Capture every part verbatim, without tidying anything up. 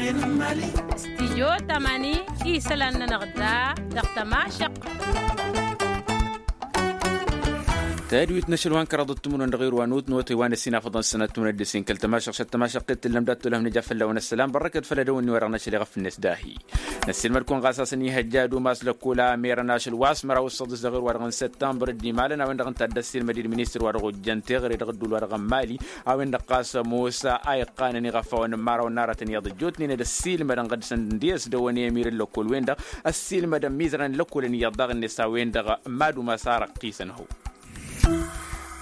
Stijyo tamani isălan-nănăɣ da dăɣ-tămašăq. Tadwit n-ašăl wa n-kăraḍăt timǝrwen dăɣ-irwanut n-otăy wa n-ăssinafăḍăn sănăt timǝrwen d-ăssin kăl-tămašăq šăt tămašăq ittǝllăm dat-tolăh n-ija fălla-wen ăssălam bărrăkăt făll-edăwănni wa dăɣ-năšăl iɣăf-net dahi. Năssiilmăd-kăwăn ɣas a-s ănihăjja ad-umas lăkkol a merăn ašăl wa s-măraw d-săḍis dăɣ-irwa-dăɣ n-săttămbăr d-imalăn a-wen-dăɣ ǝnta a dd-ăssiilmăd-dd ministăr wa dăɣ-ojjăn teɣăre dăɣ-ădduul wa dăɣ-n mali a-wen-dăɣ ɣas ămoos a iqqanăn iɣăfawăn n-imărawăn n-aratăn iyyăḍ ăjjootnen ad-ăssiilmădăn ɣǝd-săn d-e-s dăwăn i-emir n-lăkkol-wen-dăɣ ăssiilmădăn mizărăn n-lăkkolăn iyyăḍ daɣ-net a-wen-dăɣ mad-umas a răqqisăn ho.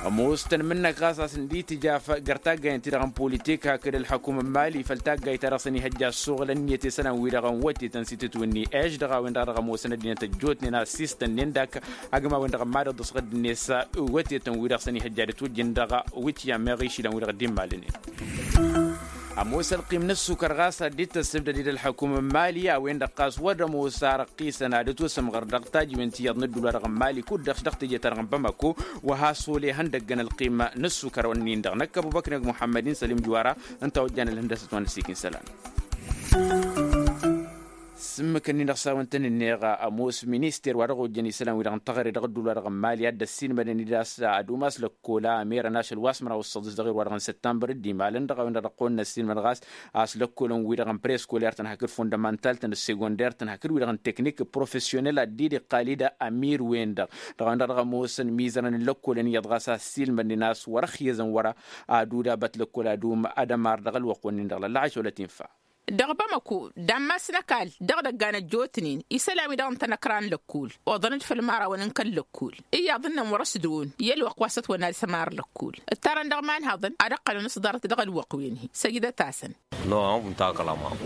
Ămoos tăn-imǝnnăk ɣas a-s ǝndi tǝjaf găr taggayăn-ti-dăɣ n-politik hakd ălḥăkum n-mali făll-taggayt-ta-dăɣ s-ănihăjja ăssoɣǝl ǝnniyăt i-isălan-wi-dăɣ n-wătetăn s-itǝtwǝnni eš dăɣ-a-wen-dăɣ a dăɣ-ămoosăn ăddinăt ăjjootnen a ăssiistănnen dak agǝm a-wen-dăɣ n-mad-ăḍḍǝs ɣǝdd-net wătetăn-wi-dăɣ s-ănihăjja ad-ătwǝjjǝn dăɣ-wǝtya meɣ išilan-wi-dăɣ dd-immalănen. Ămoos ălqim n-ăssukăr ɣas ad-dd-tăssǝbdăd-dd ălḥăkum n-mali a-wen-dăɣ ɣas wăr ămoos a răqqisăn ad-ătwăsǝmɣăr dăɣ-tajǝwen ti iyyăḍ n-ădduul wa dăɣ-n mali kud-dăɣ dăɣ-teje-ta-dăɣ n-bamako. Wa has-ole ihăndăggăn ălqim n-ăssukăr-nin-dăɣ năkk ăbubăkr n-ag muḥămmăd-in sălim juwara ǝnta a ojjan ălhǝndăsăt wa n-ăssiik n-isălan. S-ǝmmǝk-nin-dăɣ s-a-wen-tăn-ǝnneɣ ămoos minister wa dăɣ-ojjăn isălan-wi-dăɣ n-teɣăre dăɣ-ădduul wa dăɣ-n mali a dd-ăssiilmădăn-dd a-s ad-umas lăkkol a merăn ašăl wa s-măraw d-săḍis dăɣ-irwa-dăɣ n-săttămbăr d-imalăn dăɣ-a-wen-dăɣ dăɣ-kăwăn-năssiilmăd ɣas a-s lăkkolăn-wi-dăɣ n-prescoler-tăn hakd fundămantal-tăn d-segonder-tăn hakd wi-dăɣ n-teknik profesyonel ad-dd-iqqal-dd amir-wen-dăɣ. Dăɣ-a-wen-dăɣ dăɣ-ămoosăn mizărăn n-lăkkolăn iyyăḍ ɣas a ăssiilmădnen a-s wăr-ăxyăzăn wăr-aduda băt lăkkol ad-um ad-ămar dăɣ-ălwăqq-wen-in-dăɣ lăllăɣaš wăla t-infa. Dăɣ-bamăko d-ammas n-ăkall dăɣ-idăggan ăjjootnen isălan-wi-dăɣ n-tanăkra n-lăkkol oḍăn-dd făll-imărawăn n-kăl-lăkkol iyyăḍ ǝnnăn wăr-ăsdăwăn i-ălwăqq wa s-ătwănna d-sămar lăkkol. Ǝttarăn dăɣ-iman haḍăn ad-ăqqălăn s-ḍarăt dăɣ-ălwăqq-wen-hi săjdăt-asăn.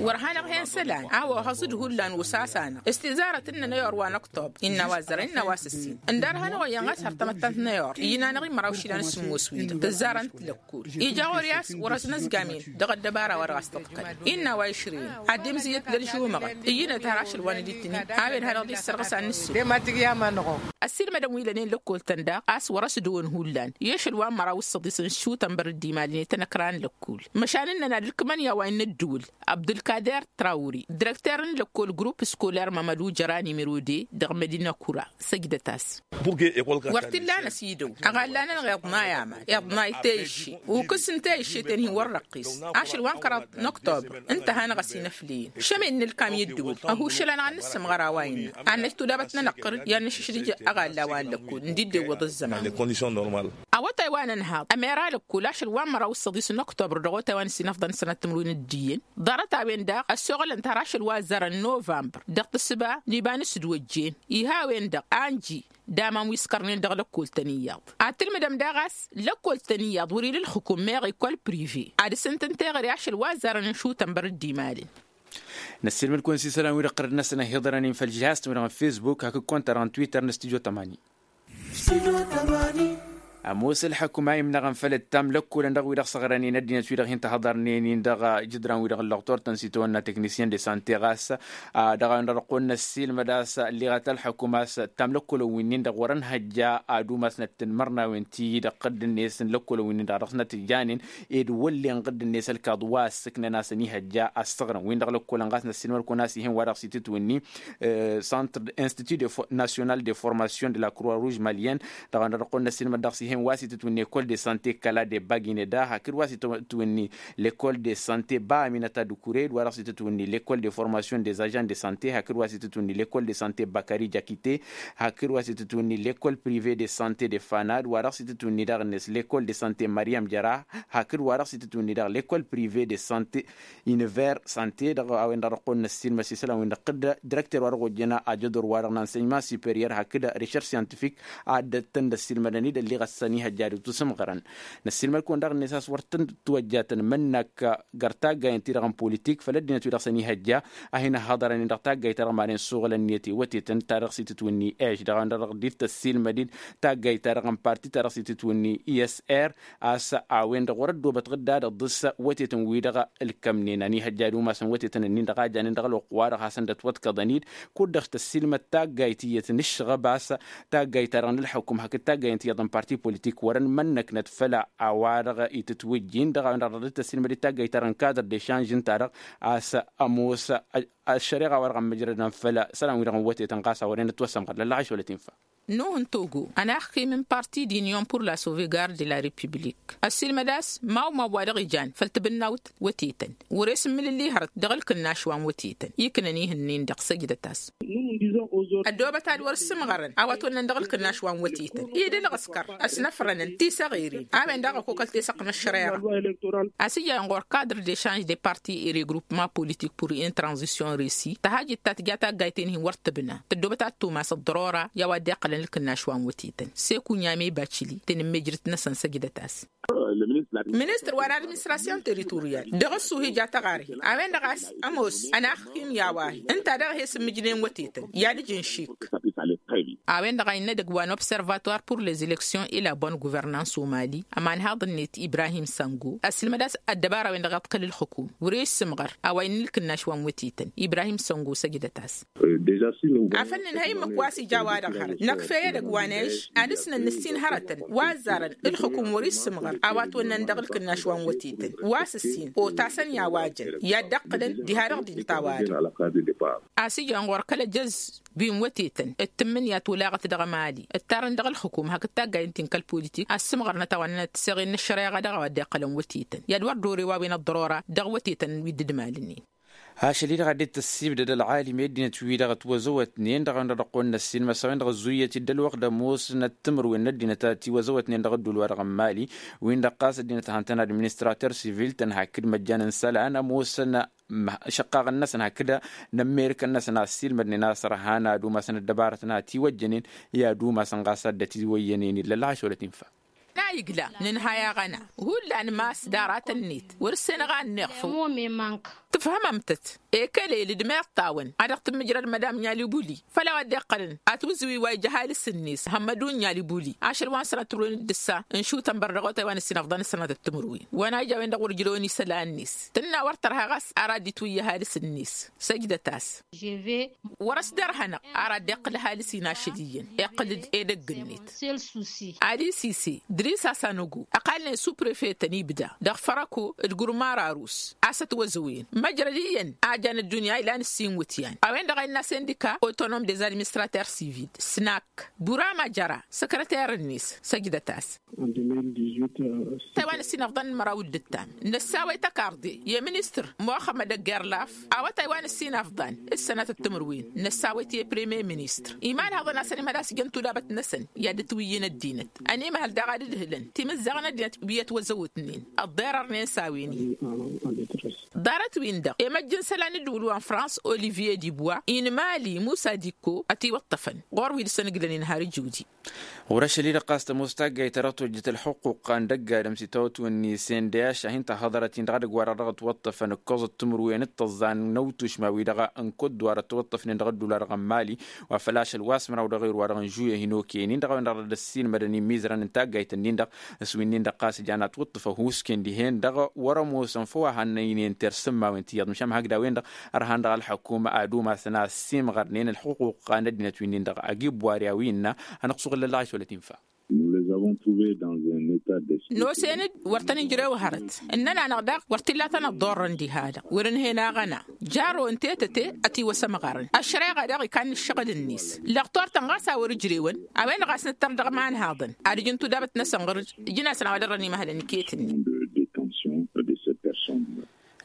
Wăr hanăɣ-hen isălan a-wa ohăẓ-dd hullan osas-anăɣ s-tizarăt n-inăyor wa n-ăktobăr innă a-wa ăzzărăn innă a-wa s-ǝssin ǝndar hanăɣ-oyyăn ɣas har tamăttant n-inăyor iyyăn-anăɣ-i măraw išilan s-sǝmmos wi-dăɣ tǝzzarăn-t lăkkol ija ɣur-i a-s wăr-ăznăzgamen dăɣ-ăddăbara wa dăɣ-a-s tăḍkălăn innă a-wa išrăyăn ad-dd-imzǝyyăt d-ălžumăɣăt iyyǝnăt har ašăl wa n-ad-ittǝni a-wen hanăɣ-dd-issărɣǝs ad-nǝssǝm. Ăssiilmădăn wi lănen lăkkol-tăn daɣ a-s wăr-ăsdăwăn hullan i-ašăl wa n-măraw d-săḍis n-šutănbăr d-imalnen i-tanăkra n-lăkkol măšan ǝnnăn ad-ǝlkǝmăn i-a-wa innă ăddǝwǝl abdulkader trawri direkter n-lăkkol grupp scoler mămădu jăra nimero de dăɣ-mădina kura. Săjdăt-as. Wăr t-illa a năsidăw ăɣalla-nănăɣ iḍnay aman iḍnay teyǝšše ukǝs n-teyǝšše-ten-hi wăr răqqis ašăl wa n-kăraḍ n-ăktobăr ǝnta a hanăɣ-ăsinăfleyăn šămăyăn n-ǝlkam i-ăddǝwǝl ăhuššăl-anăɣ ad-nǝssǝmɣăr a-wa innă ad-năj tudabăt n-enăqqăr i-ad-nǝšǝšdǝj ăɣalla wa n-lăkkol ǝndi dd-iwwăḍ ăzzăman. Awătay wa n-ănhaḍ ămera lăkkol ašăl wa n-măraw d-săḍis n-ăktobăr dăɣ-otay wa n-ăsinăfḍăn sănăt timǝrwen d-iyyăn ḍarăt-a-wen-dăɣ ăssoɣălăn-t har ašăl wa ăzzarăn novămbăr dăɣ-tǝssǝba n-iba n-asǝdwăjjen. Iha a-wen-dăɣ anji d-aman wi s-kărnen dăɣ-lăkkol-tăn iyyăḍ ad-tǝlmǝdăm daɣ a-s lăkkol-tăn iyyăḍ wăr-ila ǝlxǝkum meɣ ikol prive ad-dăr-s ǝntǝn teɣăre ašăl wa ăzzarăn n-išutăn băr dd-imalăn. Năssiilmăd-kăwăn s-isălan-wi-dăɣ ɣărăt-năsăn ăhiḍărăn-in făll-žihaz-tăn-wi-dăɣ n-fesbuk hakd kăwăn-ta-dăɣ n-twitter n-studyo tămani. Ămoos ălḥăkum a imnăɣăn făll-ǝttam lăkkolăn dăɣ-wi-dăɣ s-ăɣrănen ăddinăt-wi-dăɣ hin-tăhăḍărnen-in dăɣ-ijǝdran-wi-dăɣ ǝllăɣtor-tăn s-itawănna teknisyen de sante ɣas dăɣ-a-wen-dăɣ dăɣ-kăwăn-năssiilmăd a-s ălliɣăt ălḥăkum a-s ǝttam lăkkolăn wi-nin-dăɣ wăr-ănhăjja ad-umasnăt timărnawen ti-dăɣ ɣǝdd-net n-lăkkolăn wi-nin-dăɣ dăɣ-snăt ǝjjanen ed wăllen ɣǝdd-net ălkaḍ wa ăssǝknăn a-s ănihăjja a ăssăɣrăn win-dăɣ lăkkolăn ɣas năssiilmăd-kăwăn a-s ih'-en wa dăɣ-s itǝtwǝnni centre institut national de formation de la croix rouge malienne. Dăɣ-a-wen-dăɣ dăɣ-kăwăn-năssiilmăd dăɣ-s ih'-en wa s-itǝtwǝnni ecole de sante kăla de bagineda hakd wa s-itǝtwǝnni lekol de sante ba aminăta dukure d-wa dăɣ-s itǝtwǝnni lekol de formation des agents de sante hakd wa s-itǝtwǝnni lekol de sante bakari jakite hakd wa s-itǝtwǝnni lekol prive de sante de fana d-wa dăɣ-s itǝtwǝnni daɣ-net lekol de sante mariam jăra hakd wa dăɣ-s itǝtwǝnni daɣ lekol prive de sante. Univer sante dăɣ-a-wen-dăɣ dăɣ-kăwăn-năssiilmăd s-isălan-win-dăɣ tǝdda direkter wa dăɣ-ojjăn ajădor wa dăɣ-nănsenyman superior hakd recherš scientific a dd-tăn-dd-ăssiilmădăn-dd ălliɣăt s-ănihăjja ad-dd-tusǝmɣărăn. Năssiilmăd-kăwăn daɣ-net a-s wăr tăn-dd-tiwăjjatăn mănnak găr taggayăn-ti-dăɣ n-politik făll-ăddinăt-wi-dăɣ s-ănihăjja a hin-ăhhăḍărăn-in dăɣ-taggayt-ta-dăɣ manen suɣǝl ǝnniyăt i-wătetăn ta dăɣ-s itǝtwǝnni eš dăɣ-a-wen-dăɣ dăɣ-dd-tăssiilmăd-dd taggayt-ta-dăɣ n-parti ta dăɣ-s itǝtwǝnni i s r a-s a-wen-dăɣ wăr-ăddoobăt ɣǝdda ad-ăḍḍǝs wătetăn-wi-dăɣ ǝlkămnen ănihăjja ad-umasăn wătetăn-ǝnnin dăɣ-a janen dăɣ-ălwăqq-wa-dăɣ hasăn-dd-ătwăḍkăḍăn-dd kud-dăɣ tăssiilmăd taggayt iyyăt n-ǝššăɣăb a-s taggayt-ta-dăɣ n-ǝlḥăkum hakd taggayt n-tiyyăḍ n-parti. politik wărăn mănnăknăt făll-a-wa-dăɣ itǝtwǝjjin dăɣ-a-wen-dăɣ dăɣ-dd-tăssinmăd i-taggayt-ta-dăɣ n-kadăr dešanž ǝnta-dăɣ a-s ămoos ăššăreɣa wa-dăɣ ămmǝjrădăn făll-isălan-wi-dăɣ n-wătetăn ɣas a wărăn ătwăsămɣăr lăllaɣ ašwălăt infa. Nuh n-togo ănaxkim n-parti d'union pour la sauvegarde de la republik ăssiilmăd a-s ma-u ma wa-dăɣ ijan făll-tibǝnnawt wătetăn wăr-e s-ǝmmǝlǝlli hărăt dăɣ-ǝlkǝnnaš wa n-wătetăn iknăn ihǝnnin-dăɣ săjdăt-as. Ăddoobăt ad-wăr-ǝssǝmɣărăn a-wa t-wănnăn dăɣ-ǝlkǝnnaš wa n-wătetăn i-dd ălɣǝskăr ăsnăfrănăn tisăɣirin a-wen daɣ ăkokăl tesăqq n-ăššăreɣa. A-s ija-en ɣur-kadr dešanž de parti i-regrupma politik pur intranzisyon risi tăhajit ta tǝja taggayt-en-hin wăr tǝbna tăddoobăt ad-tumas ăḍḍărora i-a-wa dd-iqqălăn ǝlkǝnnaš wa n-wătetăn. Seku n-i-amebacili tenǝmmejrǝt-năsăn săjdăt-as. Ministăr wa n-administrasyon teritoryal dăɣ-ăssuhi ja tăɣarhi a-wen-dăɣ a-s ămoos ănaxkim i-a-wa-hi ǝnta daɣ he-s ǝmmǝjnen wătetăn i-ad-ǝj n-išik. A-wen-dăɣ a innă edăgg wa n-observator pur lez-eleksyon i-la bonne guvernans o mali ămanhaḍ-net ibrahim sango ăssilmăd a-s ăddăbara-wen-dăɣ iḍkăl ǝlxǝkum wăr-e-s sǝmɣăr a-wa innă ǝlkǝnnaš wa n-wătetăn ibrahim sango săjdăt-as. Afăl nǝnhăy ǝmmǝk wa s-ija a-wa-dăɣ hărăt năkf'-e edăgg wa n-eš ad-ǝsnăn nǝssin hărătăn wa ăzzarăn ǝlxǝkum wăr-issǝmɣăr a-wa t-wănnăn dăɣ-ǝlkǝnnaš wa n-wătetăn wa s-ǝssin otasăn i-a-wa jăn i-ad-dd-ǝqqǝlăn diha-dăɣ d-inta a-wa-dăɣ. A-s ijăn ɣur-kăl-ăjăz wi n-wătetăn d-tǝmmǝnǝya tolaɣăt dăɣ-emali ǝttarăn dăɣ-ǝlxǝkum hakd taggayt n-ti n-kăl-politik a ǝssǝmɣărnăt a-wa ǝnnănăt tiseɣen n-ăššăreɣa dăɣ-a-wa dd-iqqălăn wătetăn i-ad-wăr dd-ore wa wen ăḍḍărora dăɣ-wătetăn wi dd-ǝmalnen. Ašăl-i-dăɣ a dd-tăssibdăd ălɣalim i-ăddinăt-wi-dăɣ ătwăzăwătnen dăɣ-a-wen-dăɣ dăɣ-kăwăn-năssin măsăwen-dăɣ ăzzuyăt-dd ălwăqq d-ămoosnăt timǝrwen n-ăddinăt a tiwăzăwătnen dăɣ-ădduul-wa-dăɣ n-mali. Win-dăɣ ɣas ăddinăt a hăn-tăn-ad-administrater sivil tăn-hakkǝd măjjan n-isălan ămoosăn šăqqaɣăn-năsăn hakd n-ămmerǝkăn-năsăn a ăssiilmădnen a-s ărhan ad-umasăn ăddăbarătăn a ătiwăjjănen i-ad-umasăn ɣas a dd-ătiwăyyănen illăl ašăwălăt infa. N-a igla nǝnhay aɣăna hullan mass d-aratăn-net wăr-ǝssenăɣ a ănneɣ făw. Tǝfhămăm-tăt ekălel d-meḍt-awăn a dăɣ-tǝmmǝjrăd mădam n-alibuli făll-a-wa dd-iqqălăn atwǝzǝwi wa ija ăhalǝs-net hămmădun n-alibuli ašăl wa n-sănatărwen d-ǝssa n-šutănbăr dăɣ-otay wa n-ǝssin ăfḍăn s-sănatăt timǝrwen wa n-a ija a-wen-dăɣ wăr ǝjrăwăn isălan n-s tǝnna wăr tărha ɣas ara dd-itwǝyy ăhalǝs-net. Săjdăt-as. Wăr-ăsdărhănăɣ ara dd-iqqǝl ăhalǝs-in ašăl iyyăn iqqǝl-dd edăgg-net. Adi sise dris asanăgo ăqalnen suprefetăn ibda dăɣ-fărăko d-gurmar arus a-s ătwăzăwen măjrăd iyyăn a jan ăddunya ilan ǝssin wǝtyan a-wen-dăɣ a innă asendika otonom des administrateurs civils snack burama jăra săkrăter-net. Săjdăt-as. Tăy wa n-ǝssin ăfḍăn n-măraw d-ǝttam năssawăy tăkarḍe i-ministăr muxămmăd ăggerlaf awătay wa n-ǝssin ăfḍan d-sănatăt timǝrwen năssawăy-t i-premier ministăr iman haḍăn-asăn imhăl a-s jăn tudabăt-năsăn i-ad-dd-tǝwǝyyǝn ăddinăt. Ănimhăl daɣ ad-ǝdhǝlăn timǝzzaɣ n-ăddinăt wi ătwăzăwătnen ăḍḍerărnen s-a-wen-in. Ḍarăt-win-dăɣ i-măjj n-isălan n-ǝddǝwǝl wa n-frans olivier dibwa inmali musa dikko ătiwăṭṭăfăn ɣur-wi dăɣ-săn ǝglăn-in har ǝjudi. Ɣur-ašăl-i-dăɣ ɣas tămoos taggayt ta dăɣ-tojjăt ălxuqquq a n-dăgg-adǝm s-itawătwen n-isendăy ašăh-in-tăhhăḍărăt-in dăɣ-edăgg wa-dăɣ dăɣ-ătwăṭṭăfăn ǝkkoẓăt timǝrwen d-tăẓẓa n-ăwtušma-wi-dăɣ n-kăwăt-dăɣ wa dăɣ-tăwăṭṭăfnen dăɣ-ădduul-wa-dăɣ n-mali wa făl ašăl wa s-măraw dăɣ-erwa dăɣ-n žuyăh hin-okăyăn-in dăɣ-a-wen-dăɣ dăr-dd-ăssiilmădăn imizărăn n-taggayt-ǝnnin-dăɣ s-wi-nin-dăɣ ɣas ǝjan atwǝṭṭǝf ăhuusken dihen-dăɣ wăr-ămoosăn făw a hannăynen tersǝmmawen tiyyăḍ măšan hakd a-wen-dăɣ ărhan dăɣ-ălḥukuma ad-umasăn a ăssiimɣărnen ălxuquq n-ăddinăt wi-nin-dăɣ agi ăbboarya wi innă. Hanăɣ-suɣǝl lăllaɣ ašwălăt infa. N-osen-dd wăr tăn-ijrew hărăt ǝnnăn-anăɣ daɣ wăr t-illa tăn-ăḍḍorrăn diha-dăɣ wăr-ǝnhen aɣăna jarro n-tetăte ătiwăsămɣărăn ăššăreɣa daɣ ikanna ǝššăɣǝl-net. Lăɣtor-tăn ɣas a wăr-ǝjrewăn a-wen-dăɣ a-s nǝttăr dăɣ-imanhaḍăn ad-ǝjǝn tudabăt-năsăn ɣur-ǝjǝn-asăn a-wa dăr-ănimăhălăn iket-net.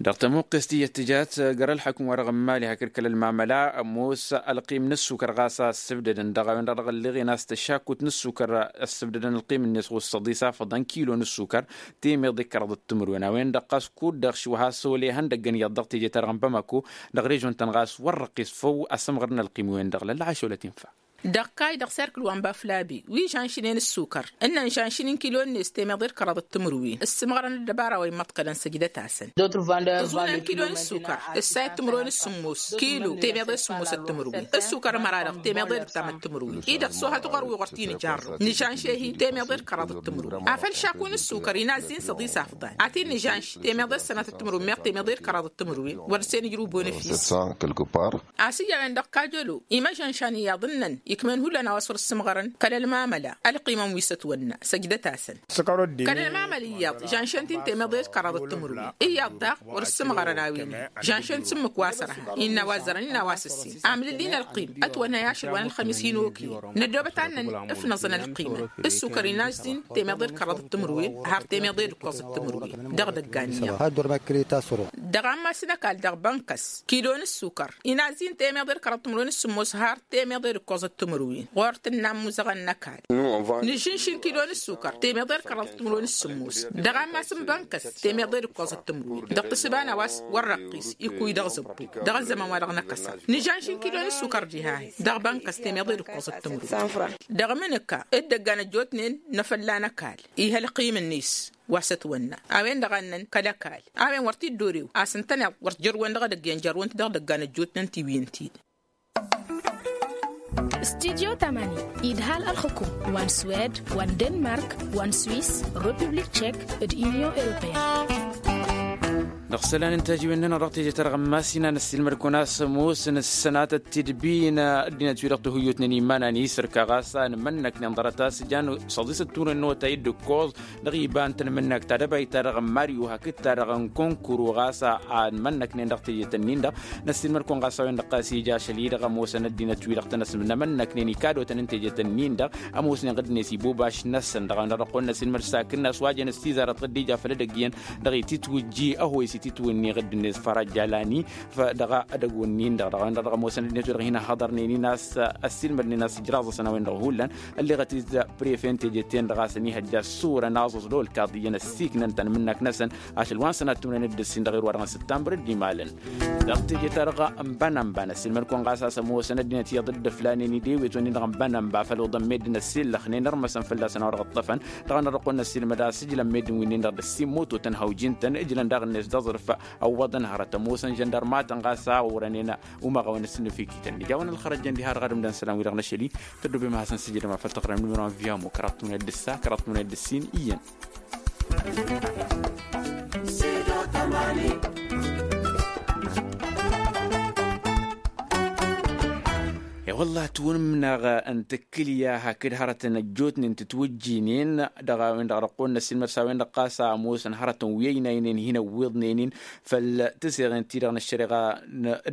Dăɣ-tămuqqest iyyăt tǝjat gar-ălḥăkm-wa-dăɣ n-mali hakd kăl-ălmamăla ămoos ălqim n-ǝssukăr ɣas a ăssǝbdădăn dăɣ-a-wen-dăɣ dăɣ-ălliɣen a-s tăšakut n-ǝssukăr ăssǝbdădăn ălqim-net ɣur-săḍis afăḍăn kilo n-ǝssukăr temeḍe d-kăraḍăt timǝrwen a-wen-dăɣ ɣas kud-dăɣ šwăha s-ole ihăndăggăn iyyăḍ dăɣ-teje-ta-dăɣ n-bamako dăɣ-režon-tăn ɣas wăr răqqis făw asǝmɣăr n-ălqim-wen-dăɣ lălla ašăwălăt infa. Dăɣ-kayy dăɣ-serkǝl wa n-baflabi wi žănšnen ǝssukăr ǝnnăn žănšnen kilo-net temeḍe d-kăraḍăt timǝrwen ǝssǝmɣărăn ăddăbara wa immăḍkălăn săjdăt-asăn. Tǝẓunăn kilo n-ǝssukăr ǝssayăt timǝrwen d-sǝmmos kilo temeḍe d-sǝmmosăt timǝrwen ǝssukăr ămăra-dăɣ temeḍe d-ǝttamăt timǝrwen-i-dăɣ s-ohăt ɣur-wi ɣur-t-in-ijarrăw nǝžănš-ehi temeḍe d-kăraḍăt timǝrwen afăl šaku n-ǝssukăr inazzin săḍis afḍan ad-t-in-nǝžănš temeḍe d-sănatăt timǝrwen meɣ temeḍe d-kăraḍăt timǝrwen wăr-dăɣ-sen ǝjrǝw bonăfis. A-s ija a-wen-dăɣ kajălo imăžănšan iyyăḍ ǝnnăn ikmăn hullan a-wa s-wăr-ǝssǝmɣărăn kăl-ălmamăla ălqimăn wi s-ătwănna săjdăt-asăn. Kăl-ălmamăla iyyăḍ žanšăn-t-in temeḍe d-kăraḍ d-timǝrwen iyyăḍ daɣ wăr-ǝssǝmɣărăn a-wen-i žanšăn d-sǝmmǝk wa s-ărha innă a-wa ăzzărăn innă a-wa s-ǝssin amlǝl-in ălqim ătwănna i-ašăl wa n-ălxămis hin-okăyăn năddoobăt ad-năn-ǝfnăẓăn ălqimăn. S-sukăr inazzin temeḍe d-kăraḍ d-timǝrwen har temeḍe d-ǝkkoẓăt timǝrwen dăɣ-idăggan iyyăḍ. Dăɣ-ammas n-ăkall dăɣ-bănkăs kilo n-ǝssukăr inazzin temeḍe d-kăraḍ d-timǝrwen s-sǝmmos har temeḍe d-ǝkkoẓăt timǝrwen ɣur-tǝnna ămmuzăɣăn n-ăkall. Nǝžžǝnšǝn kilo n-ǝssukăr temeḍe d-kăraḍ d-timǝrwen s-sǝmmos dăɣ-ammas n-bănkăs temeḍe d-ǝkkoẓăt timǝrwen dăɣ-tǝssǝba n-a-wa s-wăr răqqis ikkuy dăɣ-zăbbu dăɣ-ăzzăman-wa-dăɣ n-ăkkăsăɣ. Nǝžžănšǝn kilo n-ǝssukăr diha-hi dăɣ-bănkăs temeḍe d-ǝkkoẓăt timǝrwen. Dăɣ-mǝnǝka dd-ăggan ăjjootnen n-afălla n-ăkall ih' ălqim-net wa s-ătwănna a-wen-dăɣ a ǝnnăn kăl-ăkall a-wen wăr t-dd-orew a-s ǝntăneḍ wăr t-jărwen dăɣ-edăgg i-ănjărwen-t dăɣ-idăggan ăjjootnen tiwǝyǝn-t-dd. Studyo tamani idhal ălxukum wa n-swed wa n-denmark wa n-swiss, republik tchek d-union europeyăn. Dăɣ-isălan n-tajiwen-nănăɣ dăɣ-teje-ta-dăɣ n-imass inan ăssiilmăd-kăwăn a-s ămoosăn ǝssănatăt tidbin ăddinăt-wi-dăɣ tihǝyyutnen iman-anis ărka ɣas a ǝnmănnăknen ḍarăt a-s jan săḍisăt turăn n-awătay d-ǝkkoẓ dăɣ-iba n-tanmǝnnakt ta dăbayt-ta-dăɣ n-maryu hakd-ta-dăɣ n-kunkuru ɣas a ǝnmănnăknen dăɣ-tejet-ǝnnin-dăɣ. Năssiilmăd-kăwăn ɣas a-wen-dăɣ ɣas ija ašăl-i-dăɣ ămoosăn ăddinăt-wi-dăɣ tăn-ăsmănnămănnăknen ikadotăn n-tejet-ǝnnin-dăɣ ămoosnen ɣǝdd-net ibubaš-năsăn dăɣ-a-wen-dăɣ dăɣ-kăwăn-năssiilmăd s-akǝnnas wa jăn s-tizarăt ɣǝdd ija făll-edăgg iyyăn dăɣ-ititwǝjji ăhoyes ititwǝnni ɣǝdd-net fărăj jalani. Dăɣ-edăgg-wǝnnin-dăɣ dăɣ-a-wen-dăɣ dăɣ-ămoosăn ăddinăt-wi-dăɣ hin-ăhhăḍărnen-in a-s ăssiilmădnen a-s ǝjraẓ-asăn a-wen-dăɣ hullan ălleɣăt-dd prefe n-tejet-ten-dăɣ a-s ănihăjja ăssurăn aẓẓăẓ d-olkaḍ iyyăn ăssiiknăn tanmǝnnakt-năsăn ašăl wa n-sănat timǝrwen d-ǝssin dăɣ-irwa-dăɣ n-sǝttanbăr dd-imalăn. Dăɣ-teje-ta-dăɣ n-bănănba năssiilmăd-kăwăn ɣas a-s ămoosăn ăddinăt iyyăḍ dd-ǝflanen idewetwen-in-dăɣ n-bănănba făl oḍăn meddǝn ăssiillăxnen ărmăsăn fălla-săn a-wa dăɣ-ǝṭṭăfăn. Dăɣ-a-wen-dăɣ dăɣ-kăwăn-năssiilmăd a-s ǝjlăn meddǝn wi-nin-dăɣ d-ăssimmototăn hawjin-tăn ǝjlăn daɣ-net d-aẓrǝf ăwwăḍăn hărăt ămoosăn žăndărmatăn ɣas a ɣurănen umăɣăwăn s-nǝfikităn ija a-wen ălxărăjăn diha-dăɣ ad-ǝmdăn isălan-wi-dăɣ n-ašăl-i. Tăddoobem ad-hasăn-sǝjǝdăm afăl tăqrămnǝmărăn via mukra tmune d-ǝssa kăraḍ tmune d-ǝssin iyyăn. E-wălla ătwǝnǝmnăɣ n-tǝkkǝlya hakd hărătăn ăjjootnen tǝtwǝjjinen dăɣ-a-wen-dăɣ dăɣ-kăwăn-năssiilmăd s-a-wen-dăɣ ɣas a ămoosăn hărătăn wi ăynaynen hin-ăwwiḍnen-in făll-tiseɣen-ti-dăɣ n-ăššăreɣa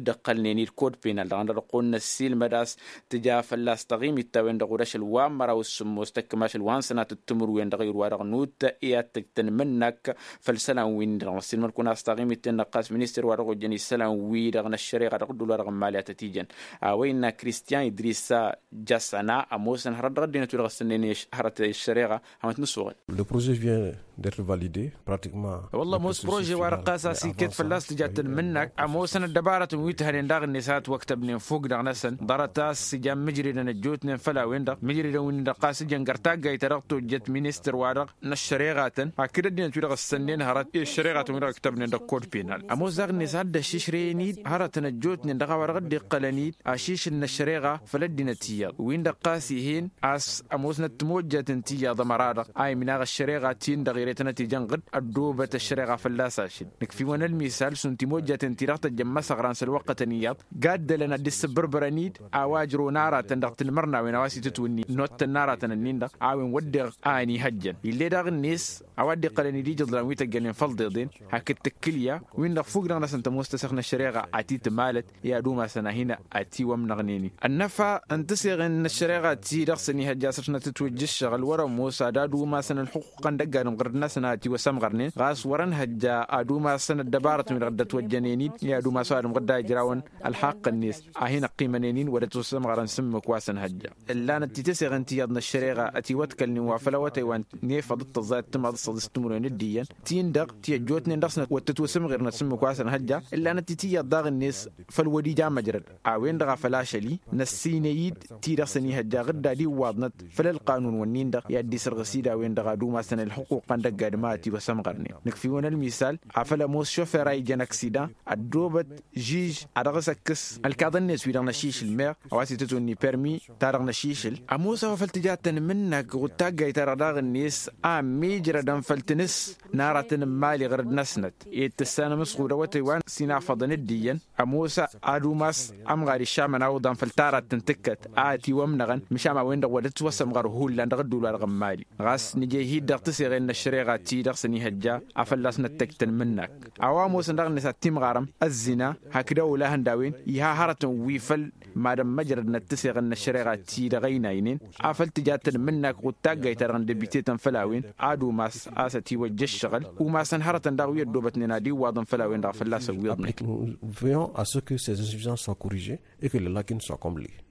dd-ǝqqălnen-dd kod penal dăɣ-a-wen-dăɣ dăɣ-kăwăn-năssiilmăd a-s tǝja fălla-s taɣimit-ta-wen-dăɣ wăr-ašăl wa n-măraw s-sǝmmos tăkk mašăl wa n-sănatăt timǝrwen dăɣ-irwa-dăɣ nut i-ad-tăj tăn-imǝnnak. Făll-isălan-win-dăɣ năssiilmăd-kăwăn a-s taɣimit-ten-dăɣ ɣas minister wa dăɣ-ojăn isălan-wi-dăɣ n-ăššăreɣa dăɣ-dd-ula dăɣ-imali ad-tăt-ijăn a-wa innă kristiyan idrisa jasana ămoosăn hărăt dăɣ-ăddinăt wi-dăɣ ăssănnen hărăt i-ăššăreɣa. Hamăt n-ăssoɣăl. Le projet vient d'être validé pratiquement. Wălla ămoos prože-wa-dăɣ ɣas a-s iket fălla-s tǝja tăn-imǝnnak ămoosăn ăddăbarătăn wi t-hănen daɣ-net a ătwăktăbnen fok-dăɣ-năsăn ḍarăt a-s ijan mǝjredăn ăjjootnen făll-a-wen-dăɣ mǝjredăn wi-nin-dăɣ ɣas ǝjăn găr taggayt ta dăɣ-tojjăt ministăr-wa-dăɣ n-ăššăreɣatăn hakd ăddinăt wi-dăɣ ǝssănnen hărăt i-ăššăreɣatăn wi-dăɣ ǝktăbnen dăɣ-kod penal ămoos daɣ-net a dd-ăššišrăyăn-dd hărătăn ăjjootnen dăɣ-a-wa dăɣ-dd-iqqălăn-dd ašišǝl n-ăššăreɣa făll-ăddinăt iyyăḍ win-dăɣ ɣas ih'-en a-s ămoosnăt timojjatăn ti iyyăḍ ămăra-dăɣ a imnaɣ ăššăreɣa-tin-dăɣ ere tănăt-ijăn ɣǝd ăddoobăt ăššăreɣa fălla-s ašăl. Nǝkf'-iwăn ălmisal šund timojjatăn-ti-dăɣ tăjjăn imăsăɣran s-ălwăqqătăn iyyăḍ gaddălăn ad-dd-issǝbbărbărăn-dd a-wa ǝjrăwăn aratăn dăɣ-tanmărnawen a-wa s-itǝtwǝnni n-ottăn n-aratăn-ǝnnin-dăɣ a-wen wădden a ănihăjjăn ill'-e daɣ-net a-wa dd-iqqălăn-dd ija iḍlan wi tăggălnen făll-iḍeḍen hakd tǝkkǝlya win-dăɣ fuk-dăɣ-năsăn tămoos tăseɣt n-ăššăreɣa a t-itmalăt i-ad-umasăn ad-hin-ătiwămnăɣnen-in. Ănnăfa n-tiseɣen n-ăššăreɣa ti dăɣ-săn ihăjja a-s ăšnăt ǝtwǝjja ǝššăɣǝl wăr-ămoos ad-ad-umasăn ălxuqq n-dăgg-adǝm ɣǝrǝd-năsăn a ătiwăsămɣărnen ɣas wăr-ănhăjja ad-umasăn ăddăbarătăn wi-dăɣ dd-ătwăjjănen-dd i-ad-umas ăwadǝm ɣǝdda ijrawăn ălxaqq-net a hin-ăqqimănen-in wăr-ătwăsămɣărăn s-ǝmmǝk wa s-ănhăjja. Ǝllanăt-t i-tiseɣen ti iyyăḍ n-ăššăreɣa ătiwăḍkălnen wa făll-awătay wa n-efăḍ d-tăẓẓay d-timaḍ d-săḍis timǝrwen d-iyyăn ti-in-dăɣ ti ăjjootnen dăɣ-snăt wăr tǝtwăsǝmɣirnăt s-ǝmmǝk wa s-ănhăjja. Ǝllanăt-t i-tiyyăḍ daɣ-net făll-wăr ija măjrăd a-wen-dăɣ a făl ašăl-i năssiinăy-dd ti-dăɣ s-ănihăjja ɣǝdda d-iwwaḍnăt făll-ălqanun-wǝnnin-dăɣ i-ad-dd-isărɣǝs-dd a-wen-dăɣ ad-umasăn ălxuquqăn. dăgg-adǝm a ătiwăsămɣărnen nǝkf'-iwăn ălmisal afăl ămoos šofer a ijăn ăksida ăddoobăt žiž a dăɣ-s ăkkǝs ălkaḍ-net wi-dăɣ n-ašišǝl meɣ a-wa s-itǝtwǝnni permi-ta-dăɣ n-ašišǝl. Ămoos a-wa făl tǝja tănmǝnnak ɣud taggayt-ta-dăɣ daɣ-net a ămmiijrădăn făll-tinǝs n-aratăn n-imali ɣǝr-dd-năsnăt ed tǝssanăm s-ɣud awătay wa s-inafăḍăn dd-iyyăn. Ămoos ad-umas ămɣar išamăn a uḍan făll-taradt n-tǝkkăt a ătiwămnăɣăn măšan a-wen-dăɣ wăr dd-ătwăsămɣăr hullan dăɣ-ădduul-wa-dăɣ n-imali ɣas nǝja ihid dăɣ-tǝseɣen n-ăššăreɣa ti-dăɣ s-ănihăjja a fălla-s năttăj tănmǝnnak. A-wa ămoosăn daɣ-net ad-timɣarăm ăzzina hakd awǝla hăndawăn iha hărătăn wi făll-mad-ămmăjrădnăt tǝseɣen n-ăššăreɣa ti-dăɣ ăynaynen afăl tǝja tănmǝnnak ɣud taggayt-ta-dăɣ n-dăbitetăn făll-a-wen ad-umas a-s ătiwăjja ǝššăɣǝl umasăn hărătăn daɣ wi ăddoobătnen ad-iwwaḍăn făll-a-wen-dăɣ a fălla-s ăwwiḍnen. Veillons à ce que ces insuffisances soient corrigées et que les lacunes soient comblées.